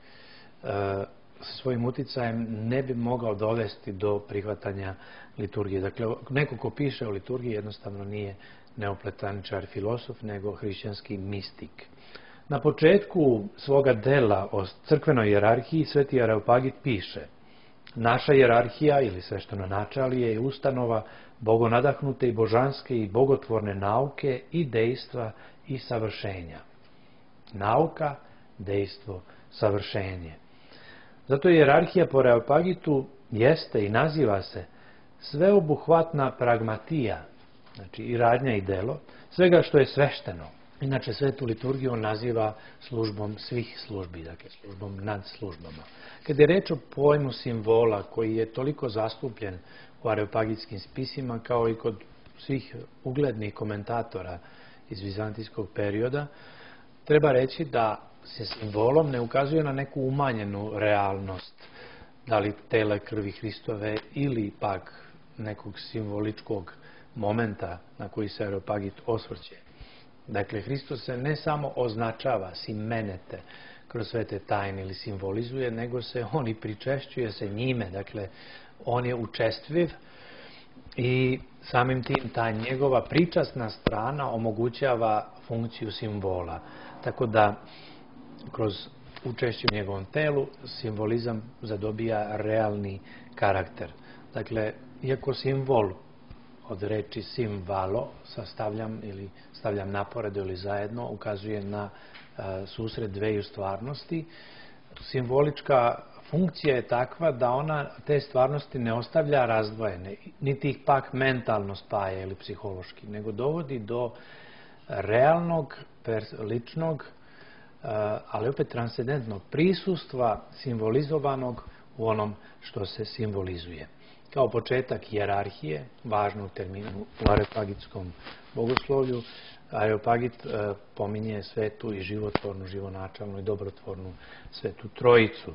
sa svojim uticajem ne bi mogao dovesti do prihvatanja liturgije. Dakle, neko ko piše o liturgiji jednostavno nije neoplatoničar filosof, nego hrišćanski mistik. Na početku svoga dela o crkvenoj hijerarhiji sveti Areopagit piše: naša hijerarhija ili sveštenonačalije je ustanova bogonadahnute i božanske i bogotvorne nauke i dejstva i savršenja. Nauka, dejstvo, savršenje. Zato hijerarhija po Areopagitu jeste i naziva se sveobuhvatna pragmatija, znači i radnja i delo, svega što je svešteno. Inače, svetu liturgiju on naziva službom svih službi, dakle službom nad službama. Kada je reč o pojmu simbola koji je toliko zastupljen u areopagitskim spisima kao i kod svih uglednih komentatora iz vizantijskog perioda, treba reći da se simbolom ne ukazuje na neku umanjenu realnost, da li tele krvi Hristove ili pak nekog simboličkog momenta na koji se Areopagit osvrće. Dakle, Hristos se ne samo označava simenete kroz svete tajne ili simbolizuje, nego se on i pričešćuje se njime. Dakle, on je učestviv i samim tim ta njegova pričasna strana omogućava funkciju simbola. Tako da kroz učešće u njegovom telu simbolizam zadobija realni karakter. Dakle, iako simbol od reči simvalo stavljam naporedo ili zajedno ukazuje na susret dveju stvarnosti, simbolička funkcija je takva da ona te stvarnosti ne ostavlja razdvojene, niti ih pak mentalno spaja ili psihološki, nego dovodi do realnog, ličnog, ali opet transcendentnog prisustva simbolizovanog u onom što se simbolizuje. Kao početak hijerarhije, važnog termina u areopagitskom bogoslovlju, Areopagit pominje svetu i životvornu, živonačalnu i dobrotvornu svetu trojicu.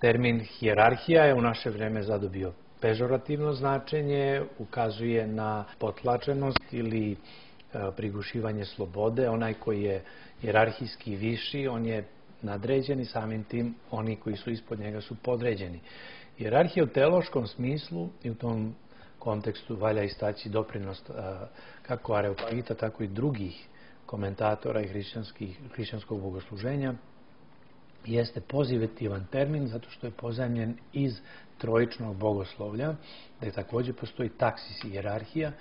Termin hijerarhija je u naše vreme zadobio pežorativno značenje, ukazuje na potlačenost ili prigušivanje slobode. Onaj koji je hijerarhijski viši, on je nadređen i samim tim oni koji su ispod njega su podređeni. Hijerarhija u teološkom smislu i u tom kontekstu valja istaći doprinos kako Areopagita, tako i drugih komentatora i hrišćanskog bogosluženja, jeste pozitivan termin zato što je pozajmljen iz trojičnog bogoslovlja, gdje također postoji taksis i hijerarhija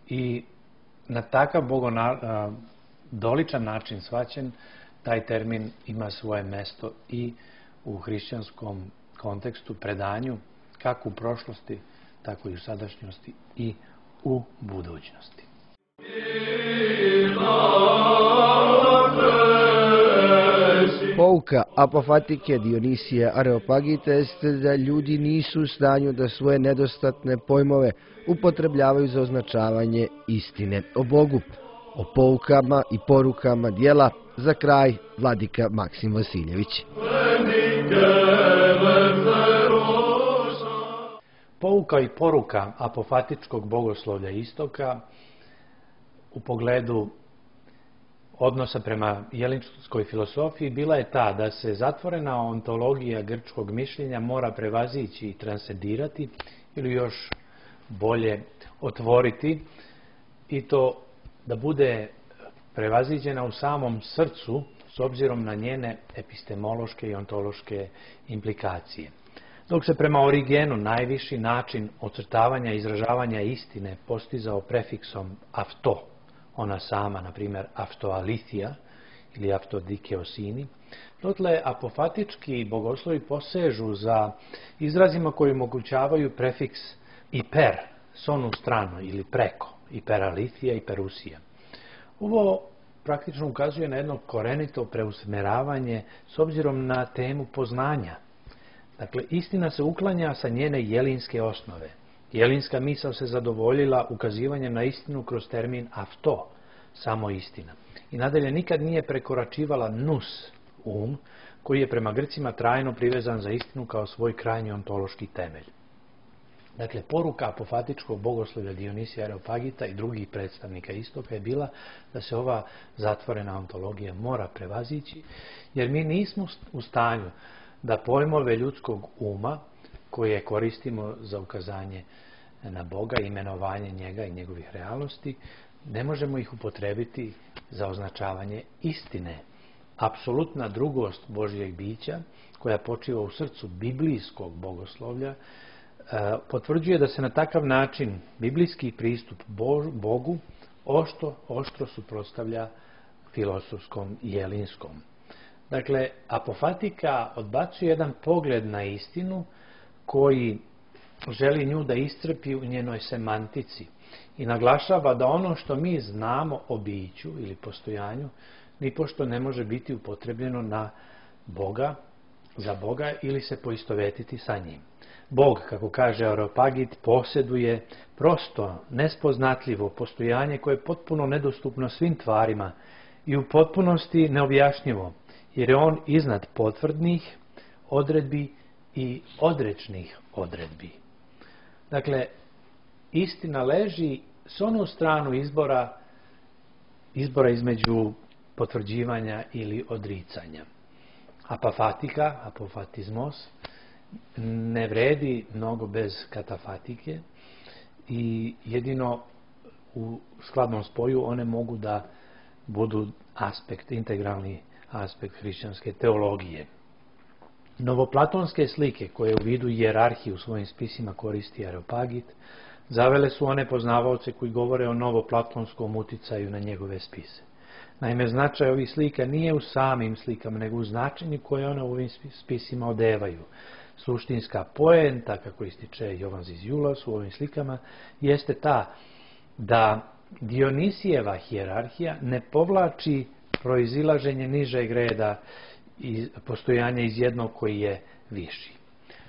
i na takav doličan način shvaćen, taj termin ima svoje mesto i u hrišćanskom kontekstu, predanju, kako u prošlosti, tako i u sadašnjosti i u budućnosti. Pouka apofatike Dionisija Areopagita jeste da ljudi nisu u stanju da svoje nedostatne pojmove upotrebljavaju za označavanje istine o Bogu. O poukama i porukama dijela za kraj vladika Maksim Vasiljević. Pouka i poruka apofatičkog bogoslovlja istoka u pogledu odnosa prema jelinskoj filosofiji bila je ta da se zatvorena ontologija grčkog mišljenja mora prevazići i transcendirati ili još bolje otvoriti i to da bude prevaziđena u samom srcu s obzirom na njene epistemološke i ontološke implikacije. Dok se prema Origenu najviši način ocrtavanja i izražavanja istine postizao prefiksom afto, ona sama, na primjer, aftoalithija ili aftodikeosini, dotle apofatički bogoslovi posežu za izrazima koji omogućavaju prefiks iper, s onu stranu ili preko, iperalithija i perusija. Ovo praktično ukazuje na jedno korenito preusmeravanje s obzirom na temu poznanja. Dakle, istina se uklanja sa njene jelinske osnove. Jelinska misao se zadovoljila ukazivanjem na istinu kroz termin afto, samo istina. I nadalje nikad nije prekoračivala nous, koji je prema Grcima trajno privezan za istinu kao svoj krajnji ontološki temelj. Dakle, poruka apofatičkog bogoslovlja Dionisija Areopagita i drugih predstavnika istoka je bila da se ova zatvorena ontologija mora prevazići, jer mi nismo u stanju da pojmove ljudskog uma, koje koristimo za ukazanje na Boga, imenovanje njega i njegovih realnosti, ne možemo ih upotrebiti za označavanje istine. Apsolutna drugost Božjeg bića, koja počiva u srcu biblijskog bogoslovlja, potvrđuje da se na takav način biblijski pristup Bogu oštro suprotstavlja filosofskom i jelinskom. Dakle, apofatika odbacuje jedan pogled na istinu koji želi nju da iscrpi u njenoj semantici i naglašava da ono što mi znamo o biću ili postojanju nipošto ne može biti upotrebljeno na Boga, za Boga ili se poistovetiti sa njim. Bog, kako kaže Areopagit, posjeduje prosto, nespoznatljivo postojanje koje je potpuno nedostupno svim tvarima i u potpunosti neobjašnjivo, jer je on iznad potvrdnih odredbi i odrečnih odredbi. Dakle, istina leži s onu stranu izbora između potvrđivanja ili odricanja. Apafatika, apofatizmos, ne vredi mnogo bez katafatike i jedino u skladnom spoju one mogu da budu integralni aspekt hrišćanske teologije. Novoplatonske slike koje u vidu hijerarhije u svojim spisima koristi Areopagit, zavele su one poznavaoce koji govore o novoplatonskom uticaju na njegove spise. Naime, značaj ovih slika nije u samim slikama, nego u značenju koje one u ovim spisima odevaju. Suštinska poenta, kako ističe Jovan Ziziulas u ovim slikama, jeste ta da Dionisijeva hijerarhija ne povlači proizilaženje nižeg reda i postojanja iz jednog koji je viši.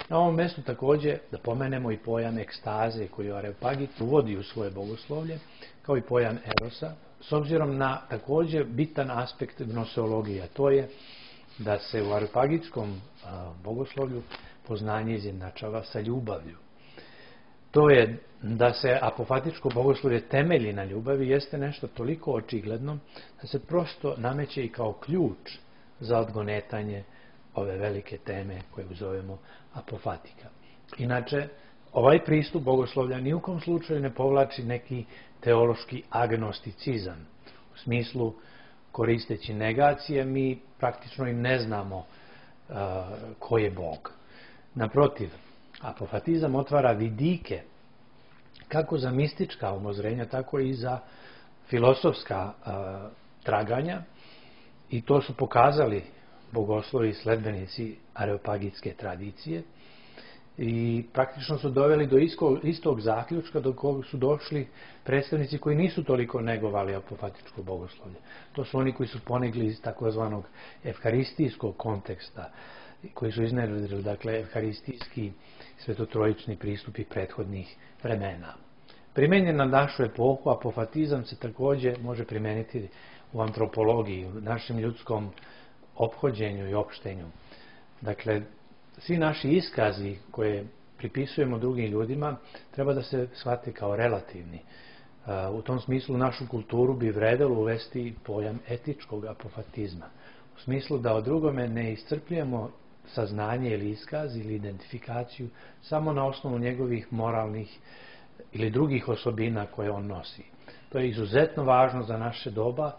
Na ovom mjestu također da pomenemo i pojam ekstaze koju Areopagit uvodi u svoje bogoslovlje, kao i pojam erosa, s obzirom na također bitan aspekt gnoseologije, a to je da se u areopagitskom bogoslovlju poznanje izjednačava sa ljubavlju. To je da se apofatičko bogoslovlje temelji na ljubavi jeste nešto toliko očigledno da se prosto nameće i kao ključ za odgonetanje ove velike teme koje zovemo apofatika. Inače, ovaj pristup bogoslovlja ni u kom slučaju ne povlači neki teološki agnosticizam. U smislu, koristeći negacije, mi praktično i ne znamo ko je Bog. Naprotiv, apofatizam otvara vidike kako za mistička umozrenja, tako i za filosofska traganja, i to su pokazali bogoslovi i sledbenici areopagitske tradicije i praktično su doveli do istog zaključka do kog su došli predstavnici koji nisu toliko negovali apofatičko bogoslovlje. To su oni koji su ponegli iz takozvanog evharistijskog konteksta, koji su iznedrili, dakle, evharistijski svetotrojični pristupi prethodnih vremena. Primenjen na našu epohu, apofatizam se također može primeniti u antropologiji, u našem ljudskom ophođenju i opštenju. Dakle, svi naši iskazi koje pripisujemo drugim ljudima treba da se shvate kao relativni. U tom smislu našu kulturu bi vredelo uvesti pojam etičkog apofatizma. U smislu da od drugome ne iscrpljujemo saznanje ili iskaz ili identifikaciju samo na osnovu njegovih moralnih ili drugih osobina koje on nosi. To je izuzetno važno za naše doba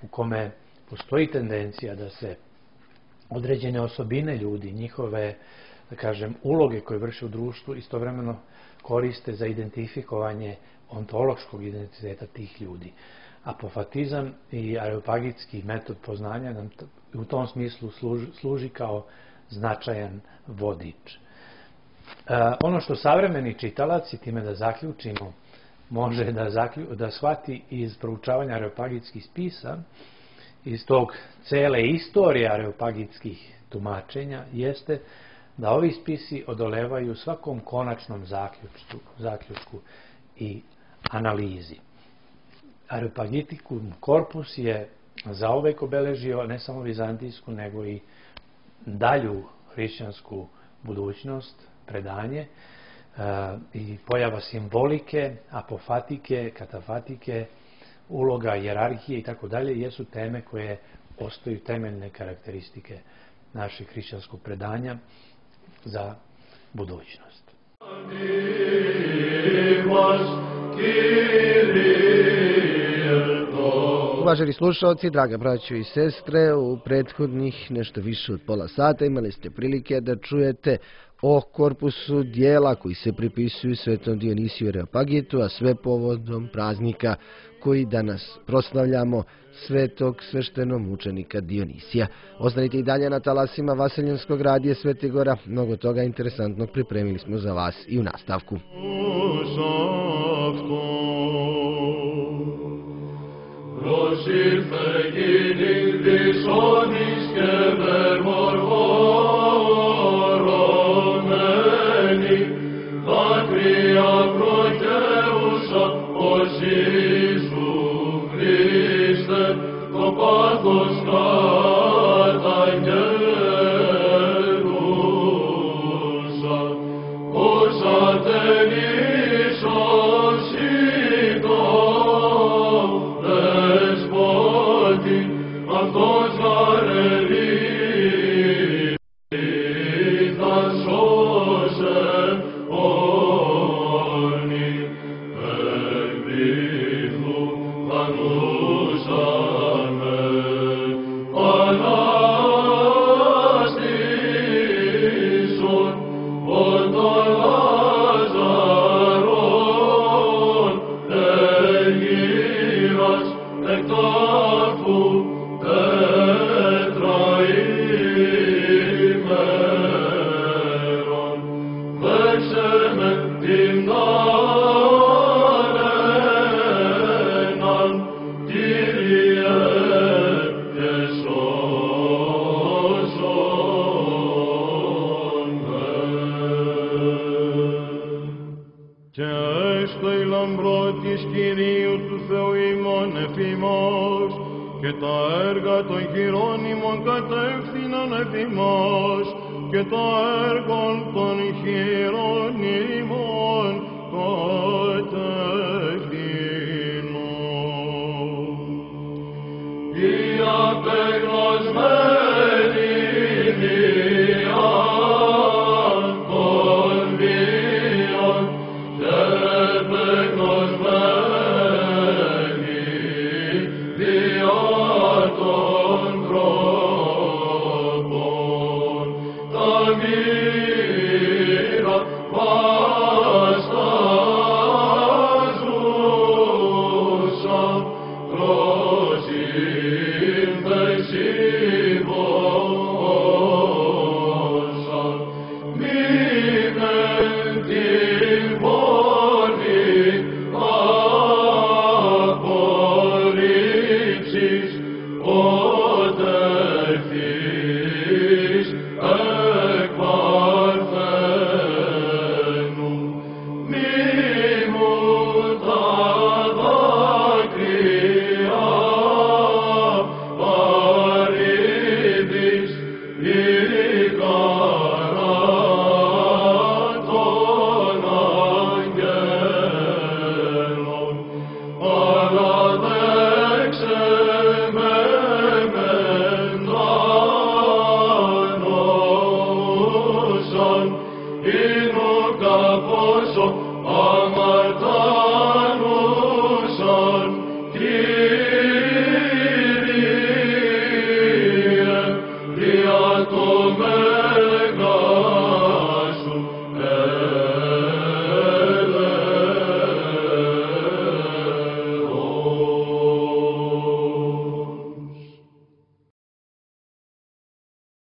u kome postoji tendencija da se određene osobine ljudi, njihove, da kažem, uloge koje vrše u društvu istovremeno koriste za identifikovanje ontološkog identiteta tih ljudi. Apofatizam i areopagitski metod poznanja nam u tom smislu služi kao značajan vodič. Ono što savremeni čitalac, i time da zaključimo, može da shvati iz proučavanja areopagitskih spisa, iz tog cele istorije areopagitskih tumačenja, jeste da ovi spisi odolevaju svakom konačnom zaključku i analizi. Areopagitikum korpus je zauvek obeležio ne samo vizantijsku, nego i dalju hrišćansku budućnost, predanje, i pojava simbolike, apofatike, katafatike, uloga hijerarhije i tako dalje, jesu teme koje ostaju temeljne karakteristike našeg hrišćanskog predanja za budućnost. Uvaženi slušalci, draga braćo i sestre, u prethodnih nešto više od pola sata imali ste prilike da čujete o korpusu dijela koji se pripisuju svetom Dionisiju Areopagitu, a sve povodom praznika koji danas proslavljamo, svetog sveštenomučenika Dionisija. Ostanite i dalje na talasima Vaseljenskog radija Svete Gora, mnogo toga interesantnog pripremili smo za vas i u nastavku. Αυτός εφημάς, και τα έργα των χειρών ημών κατεύθυναν εφημάς, και τα έργα των χειρών ημών κατεύθυναν. Η απεγνωσμένη βία των βίων και επεγνωσμένη βία των τρόπων, τα